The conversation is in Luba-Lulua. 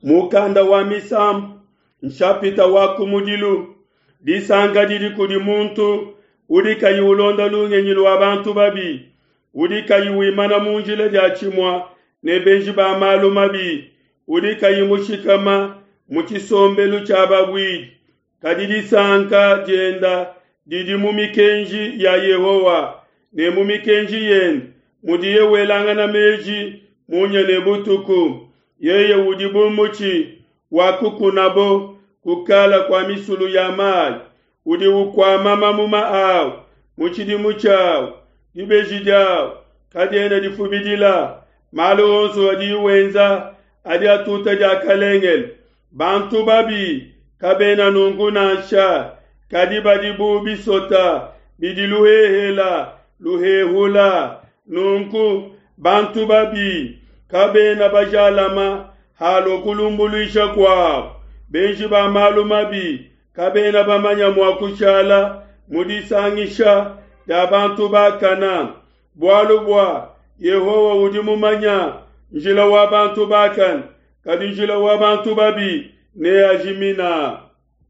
Mukanda wa Misambu, nshapita wa kumudilu. Disanka didi kudi muntu udi kayi ulonda lungenyi lua bantu babi, udi kayi wimana mu njila diatshimue ne benji ba malu mabi, udi kayi mushikama mu tshisombelu tshia babuidi. Kadi disanka dienda didi mu mikenji ya Yehowa, ne mu mikenji yende mudiye welangana meji munya ne butuku. Yeye udi bu mutshi wa kukunabo kukala kua misulu ya mayi, udi ukuama mamuma awu mu tshidimu tshiawu, dibeji diawu kadiena difubidila. Malu onso adiye wenza adi atuta diakalengele. Bantu babi kabena nunku nansha, kadi badi bu bisota bidi luhehela luhehula. Nunku bantu babi kabena bajalama halua kulumbuluisha kuabo. Benji ba malu mabi kabena bamanya mua kushala mu disangisha dia bantu bakana. Bualu bua Yehowa udi mumanya njila wa bantu bakane, kadi njila wa bantu babi neajimina.